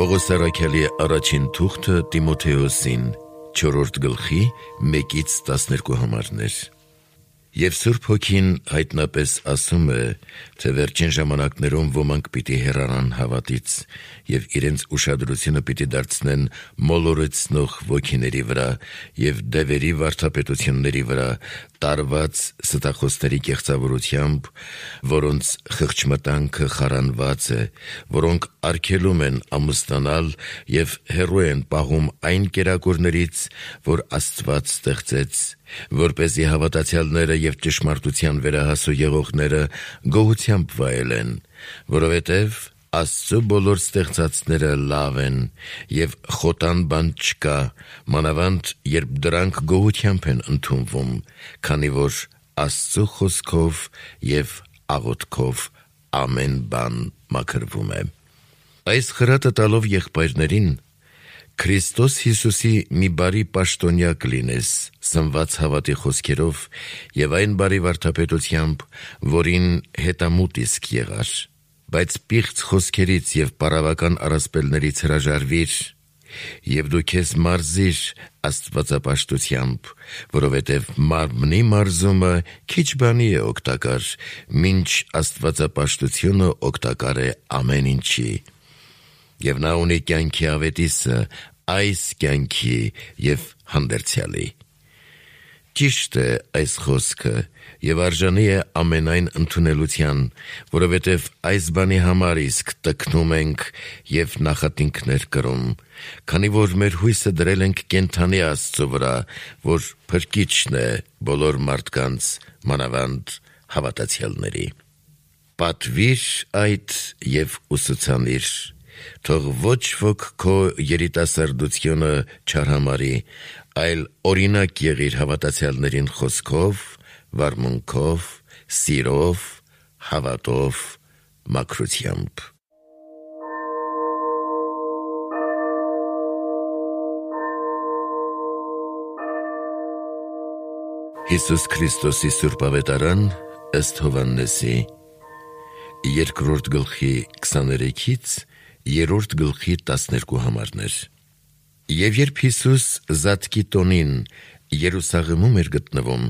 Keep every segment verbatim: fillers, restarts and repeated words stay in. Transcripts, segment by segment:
Պողոս առաքյալի առաջին թուղթը Տիմոթեոսին, չորրորդ գլխի մեկից տասներկու համարներ։ Եվ Սուրբ Հոգին հայտնապես ասում է, թե վերջին ժամանակներում ոմանք պիտի հեռանան հավատից և իրենց ուշադրությունը պիտի դարձնեն մոլորեցնող ոգիների վրա և դևերի վարդապետությունների վրա, տարված ստախոսների կեղծավորությամբ, որոնց խղճմտանքը խարանված է, որոնք արգելում են ամուսնանալ և հեռու են պահում այն կերակուրներից, որ Աստված ստեղծեց, որպեսզի հավատացյալները և ճշմարտության վերահասու եղողները գոհությամբ վայելեն, որովհետև Աստծու բոլոր ստեղծածները լավ են և խոտան բան չկա, մանավանդ երբ դրանք գոհությամբ են ընդունվում, քանի որ Աստծու խոսքով և աղոթքով ամեն բան մաքրվում է։ Այս խրատը տալով եղբայրներին, Քրիստոս Հիսուսի մի բարի պաշտոնյա կլինես, սնված հավատի խոսքերով և այն բարի վարդապետությամբ, որին հետամուտ իսկ եղար, բայց պիղծ խոսքերից և պարավական առասպելներից հրաժարվիր և դու քեզ մարզիր աստվածապաշտությամբ, որովհետև մարմնի մարզումը քիչ բանի է օգտակար, մինչ աստվածապաշտությունը օգտակար է ամեն ինչի։ Եվ նա ունի կյանքի ավետիսը, այս կյանքի և հանդերձյալի։ Ճիշտ է այս խոսքը և արժանի է ամենայն ընդունելության, որովհետև այս բանի համար իսկ տքնում ենք և նախատինքներ կրում, քանի որ մեր հույսը դրել ենք կենդանի Աստծու վրա, որ փրկիչն է բոլոր մարդկանց, մանավանդ հավատացյալների։ Պատվիր այդ և ուսուցանիր, թող ոչ ոք քո երիտասարդությունը չարհամարի, այլ օրինակ եղիր հավատացյալներին խոսքով, վարմունքով, սիրով, հավատով, մաքրությամբ։ Հիսուս Քրիստոսի Սուրբ Ավետարան ըստ Հովհաննեսի, երկրորդ գլխի քսաներեքից երրորդ գլխի տասներկու համարներ։ Եվ երբ Հիսուս Զատկի տոնին Երուսաղեմում էր գտնվում,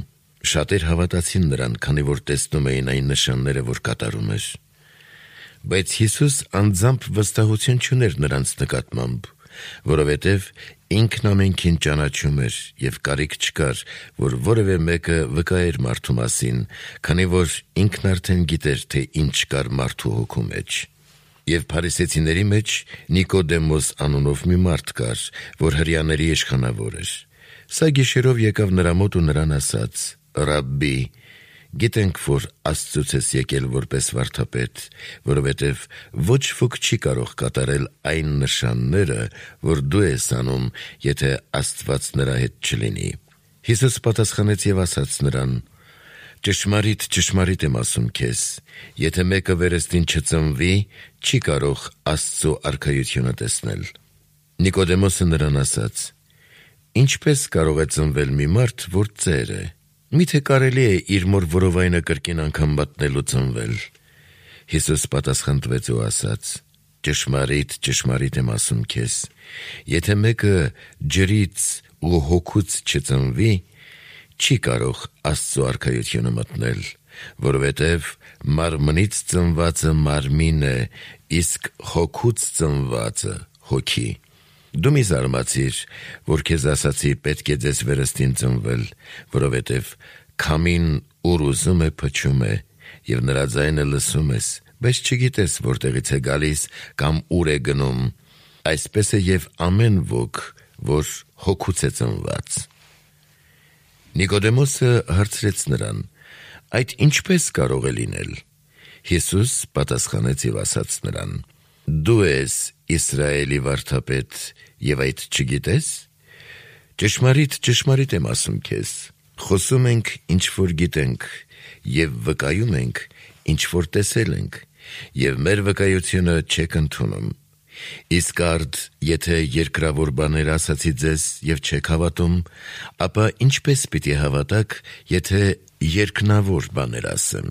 շատեր հավատացին նրան, քանի որ տեսնում էին այն նշանները, որ կատարում էր։ Բայց Հիսուս անձամբ վստահություն չուներ նրանց նկատմամբ, որովհետև ինքն ամենքին ճանաչում էր և կարիք չկար, որ որևէ մեկը վկայեր մարդու մասին, քանի որ ինքն արդեն գիտեր, թե ինչ կար մարդու հոգու մեջ։ Եվ փարիսեցիների մեջ Նիկոդեմոս անունով մի մարդ կար, որ հրեաների իշխանավոր էր։ Սա գիշերով եկավ նրա մոտ ու նրան ասաց. «Ռաբբի, գիտենք, որ Աստծուց ես եկել որպես վարդապետ, որովհետև ոչ ոք չի կարող կատարել այն նշանները, որ դու ես անում, եթե Աստված նրա հետ չլինի»։ Հիսուս պատասխանեց և ասաց նրան. «Ճշմարիտ, ճշմարիտ եմ ասում քեզ, եթե մեկը վերստին չծնվի, չի կարող Աստծու արքայությունը տեսնել»։ Նիկոդեմոսը նրան ասաց. «Ինչպե՞ս կարող է ծնվել մի մարդ, որ ծեր է, միթե կարելի է իր մոր որովայնը կրկին անգամ մատնելու ծնվել»։ Հիսուս պատասխան տվեց ու ասաց. «Ճշմարիտ, ճշմարիտ եմ ասում քեզ, եթե մեկը ջրից ու հոգուց չծնվի, չի կարող Աստծու արքայությունը մտնել, որովհետև մարմնից ծնվածը մարմին է, իսկ հոգուց ծնվածը հոգի։ Դու մի զարմացիր, որ քեզ ասացի պետք է ձեզ վերստին ծնվել, որովհետև քամին ուր ուզում է փչում է, և նրա ձայնը լսում ես, բայց չգիտես որտեղից է գալիս կամ ուր է գնում, այսպես է և ամեն ոք, որ հոգուց է ծնված»։ Նիկոդեմոսը հարցրեց նրան. «Այդ ինչպե՞ս կարող է լինել»։ Հիսուս պատասխանեց և ասաց նրան. «Դու ես Իսրայելի վարդապետ և այդ չգիտես։ Ճշմարիտ, ճշմարիտ եմ ասում քեզ, խոսում ենք, ինչ որ գիտենք, և վկայում ենք, ինչ որ տեսել ենք, և մեր վկայությունը չեք ընդունում։ Իսկ արդ, եթե երկրավոր բաներ ասացի ձեզ և չեք հավատում, ապա ինչպե՞ս պիտի հավատաք, եթե երկնավոր բաներ ասեմ։